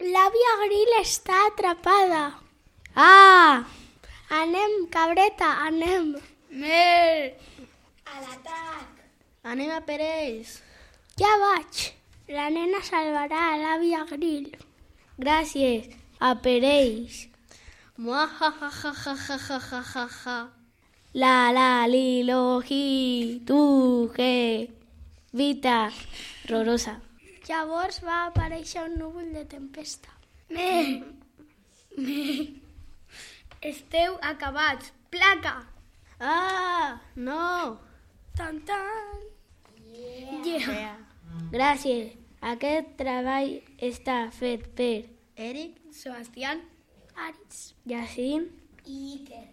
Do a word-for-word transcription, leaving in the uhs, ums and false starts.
L'àvia Grill està atrapada. Ah! Anem, cabreta, anem. Mer! A l'atac. Anem a per ells. Ja vaig. La nena salvarà a l'àvia Grill. Gràcies, a per ells. Muahahahahahahaha. La la li lo hi tu he. Vita rorosa. Llavors va aparèixer un núvol de tempesta. Me, me, esteu acabats, placa! Ah, no! Tan, tan. Yeah. Gràcies. Aquest treball està fet per Eric, Sebastián, Aris. Jacint I Iker.